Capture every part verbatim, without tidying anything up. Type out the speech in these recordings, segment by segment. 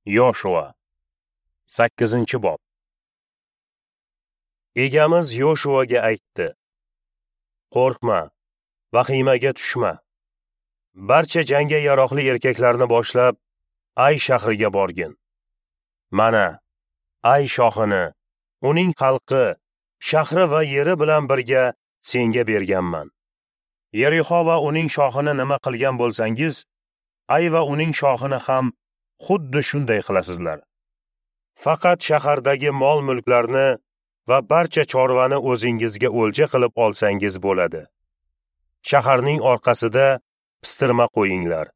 Yoshua sakkizinchi bob. Egamiz Yoshuaga aytdi: Qo'rqma, vahimaga tushma. Barcha jangga yaroqli erkaklarni boshlab Ay shahriga borgin. Mana, Ay shohini, uning xalqi, shahri va yeri bilan birga senga berganman. Yerixo va uning shohini nima qilgan bo'lsangiz, Ay va uning shohini ham xuddi shunday qilasizlar. Faqat shahardagi mol-mulklarni va barcha chorvani o'zingizga o'lja qilib olsangiz bo'ladi. Shaharning orqasida pistirma qo'yinglar.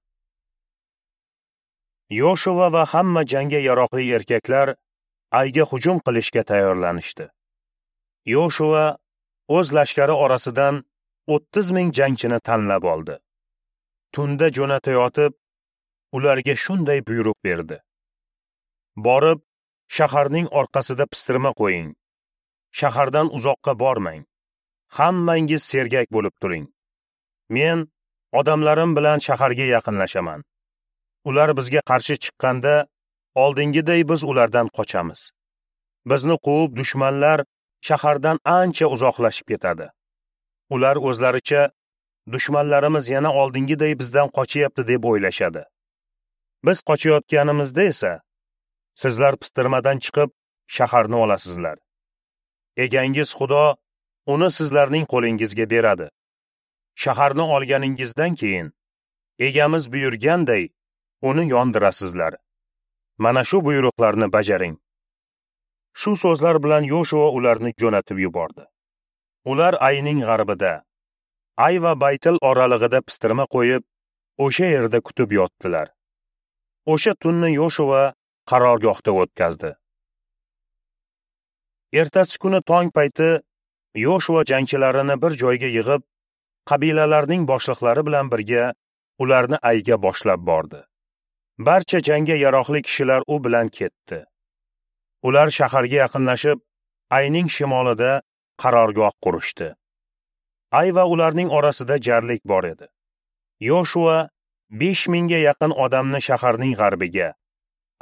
Yoshua va hamma jangga yaroqli erkaklar Ayga hujum qilishga tayyorlanishdi. Yoshua o'z lashkari orasidan o'ttiz ming jangchini tanlab oldi. Tunda jo'natayotib, ularga shunday buyruq berdi: Borib, shaharning orqasida pistirma qo'ying. Shahardan uzoqqa bormang. Hammangiz sergak bo'lib turing. Men odamlarim bilan shaharga yaqinlashaman. Ular bizga qarshi chiqqanda, oldingiday biz ulardan qochamiz. Bizni quvib dushmanlar shahardan ancha uzoqlashib ketadi. Ular o'zlaricha dushmanlarimiz yana oldingiday bizdan qochyapti deb o'ylashadi. Biz qochayotganimizda esa sizlar pistirmadan chiqib shaharni olasizlar. Egangiz Xudo uni sizlarning qo'lingizga beradi. Shaharni olganingizdan keyin egamiz buyurganday uni yondirasizlar. Mana shu buyruqlarni bajaring. Shu so'zlar bilan Yoshua ularni jo'natib yubordi. Ular Ayning g'arbida, Ay va Baytil oralig'ida pistirma qo'yib, o'sha yerda kutib yotdilar. O'sha tunni Yoshua qarorgohda o'tkazdi. Ertasi kuni tong payti Yoshua jangchilarini bir joyga yig'ib, qabilalarning boshliqlari bilan birga ularni Ayga boshlab bordi. Barcha jangga yaroqli kishilar u bilan ketdi. Ular shaharga yaqinlashib, Ayning shimolida qarorgoh qurishdi. Ay va ularning orasida jarlik bor edi. Yoshua besh mingga yaqin odamni shaharning g'arbiga,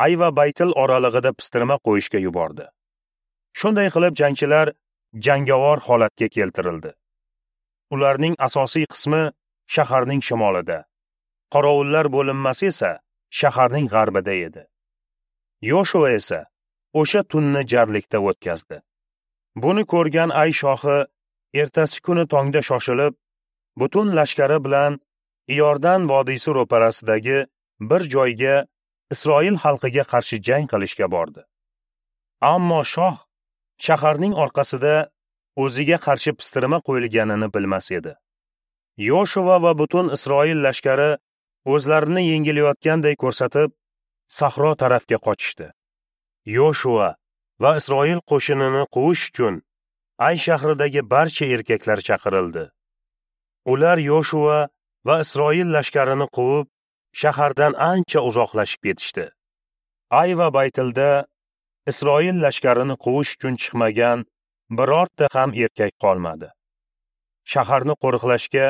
Ay va Baytil oralig'ida pistirma qo'yishga yubordi. Shunday qilib jangchilar jangovar holatga keltirildi. Ularning asosiy qismi shaharning shimolida, qorovullar bo'linmasi esa shaharning g'arbida edi. Yoshua esa o'sha tunni jarlikda o'tkazdi. Buni ko'rgan Ay shohi ertasi kuni tongda shoshilib, butun lashkari bilan Iordan vodiysi ro'parasidagi bir joyga Isroil xalqiga qarshi jang qilishga bordi. Ammo shoh shaharning orqasida o'ziga qarshi pistirma qo'yilganini bilmas edi. Yoshua va butun Isroil lashkari o'zlarini yengilayotganday ko'rsatib, sahro tarafga qochishdi. Yoshua va Isroil qo'shinini quvish uchun Ay shahridagi barcha erkaklar chaqirildi. Ular Yoshua va Isroil lashkarini quvib, shahardan ancha uzoqlashib ketishdi. Ay va Baytilda Isroil lashkarini quvish uchun chiqmagan birorta ham erkak qolmadi. Shaharni qo'riqlashga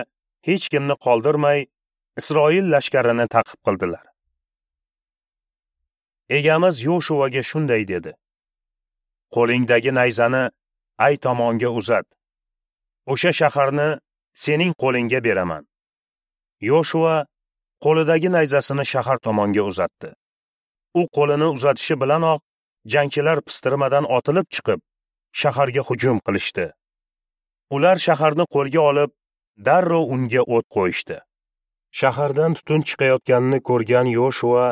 hech kimni qoldirmay, Isroil lashkarini ta'qib qildilar. Egamiz Yoshuaga shunday dedi: Qo'lingdagi nayzani Ay tomonga uzat. O'sha shaharni sening qo'lingga beraman. Yoshua qo'lidagi nayzasini shahar tomonga uzatdi. U qo'lini uzatishi bilanoq jangchilar pistirmadan otilib chiqib, shaharga hujum qilishdi. Ular shaharni qo'lga olib, darrov unga o't qo'yishdi. Shahardan tutun chiqayotganini ko'rgan Yoshua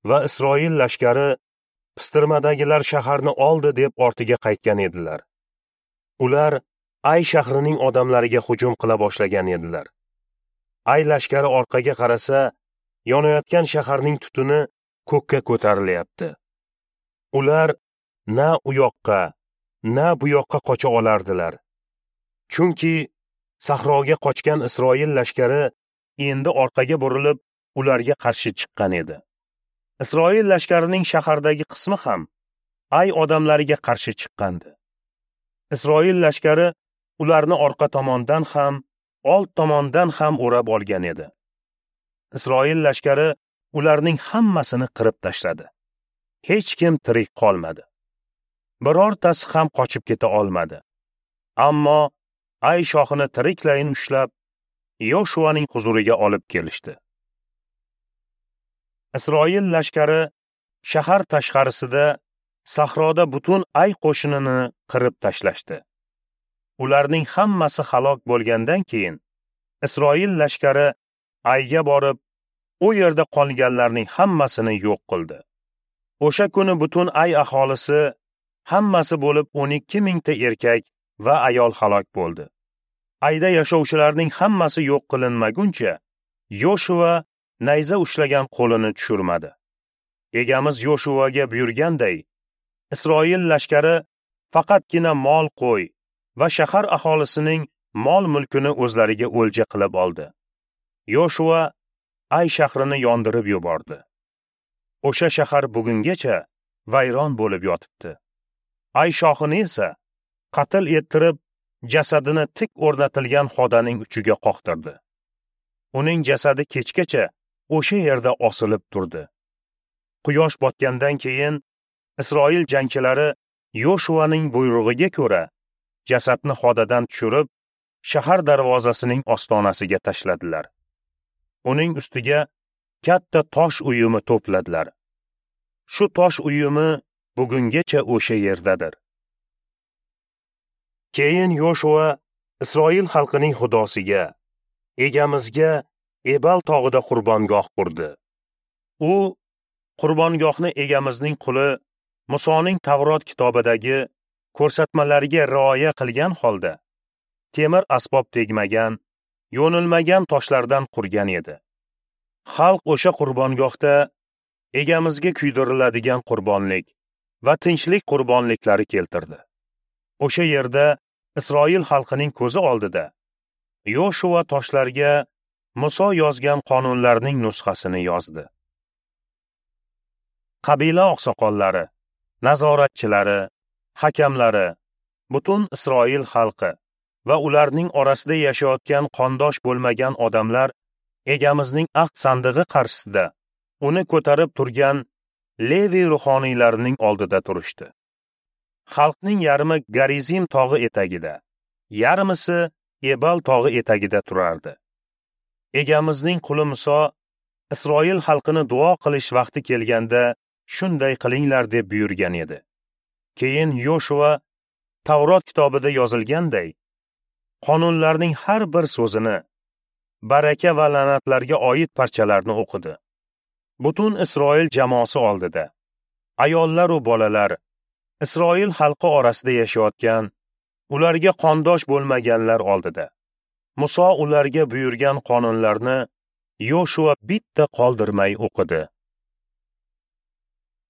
va Isroil lashkari pistirmadagilar shaharni oldi deb ortiga qaytgan edilar. Ular Ay shahrining odamlariga hujum qila boshlagan edilar. Ay lashkari orqaga qarasa, yonayotgan shaharning tutuni ko'kka ko'tarilyapti. Ular na u yoqqa, na bu yoqqa qocha olardilar. Chunki sahroga qochgan Isroil lashkari endi orqaga burilib, ularga qarshi chiqqan edi. Isroil lashkarining shahardagi qismi ham Ay odamlariga qarshi chiqqandi. Isroil lashkari ularni orqa tomondan ham, old tomondan ham o'rab olgan edi. Isroil lashkari ularning hammasini qirib tashladi. Hech kim tirik qolmadi. Birortasi ham qochib keta olmadi. Ammo Ay shohini tiriklayin ushlab, Yoshuaning huzuriga olib kelishdi. Isroil lashkari shahar tashqarisida sahroda butun Ay qo'shinini qirib tashlashdi. Ularning hammasi halok bo'lgandan keyin Isroil lashkari Ayga borib, u yerda qolganlarning hammasini yo'q qildi. O'sha kuni butun Ay aholisi hammasi bo'lib o'n ikki mingta erkak va ayol halok bo'ldi. Ayda yashovchilarning hammasi yo'q qilinmaguncha Yoshua nayza ushlagan qo'lini tushirmadi. Egamiz Yoshuaga buyurganday, Isroil lashkari faqatgina mol qo'y va shahar aholisining mol-mulkini o'zlariga o'lja qilib oldi. Yoshua Ay shahrini yondirib yubordi. O'sha shahar bugungacha vayron bo'lib yotibdi. Ay shohini esa qatl ettirib, jasadini tik o'rnatilgan xodaning uchiga qoqtirdi. Uning jasadi kechgacha o'sha yerda osilib turdi. Quyosh botgandan keyin Isroil jangchilari Yoshuaning buyrug'iga ko'ra jasadni xodadan tushirib, shahar darvozasining ostonasiga tashladilar. Uning ustiga katta tosh uyumi to'pladilar. Shu tosh uyumi bugungacha o'sha yerdadir. Keyin Yoshua Isroil xalqining xudosiga, Egamizga Ebal tog'ida qurbongoh qurdi. U qurbongohni Egamizning quli Musoning Tavrot kitobidagi ko'rsatmalariga rioya qilgan holda temir asbob tegmagan, yo'nilmagan toshlardan qurgan edi. Xalq o'sha qurbongohda Egamizga kuydiriladigan qurbonlik va tinchlik qurbonliklari keltirdi. O'sha yerda Isroil xalqining ko'zi oldida Yoshua toshlarga Muso yozgan qonunlarning nusxasini yozdi. Qabila oqsoqollari, nazoratchilari, hakamlari, butun Isroil xalqi va ularning orasida yashayotgan qondosh bo'lmagan odamlar Egamizning ahd sandig'i qarshisida uni ko'tarib turgan Levi ruhoniylarining oldida turishdi. Xalqning yarmi Garizim tog'i etagida, yarmisi Ebal tog'i etagida turardi. Egamizning quli Muso Isroil xalqini duo qilish vaqti kelganda shunday qilinglar deb buyurgan edi. Keyin Yoshua Tavrot kitobida yozilganday qonunlarning har bir so'zini, baraka va la'natlarga oid parchalarni o'qidi. Butun Isroil jamoasi oldida ayollar va bolalar, Isroil xalqi orasida yashayotgan, ularga qondosh bo'lmaganlar oldida Muso ularga buyurgan qonunlarni Yoshua bitta qoldirmay o'qidi.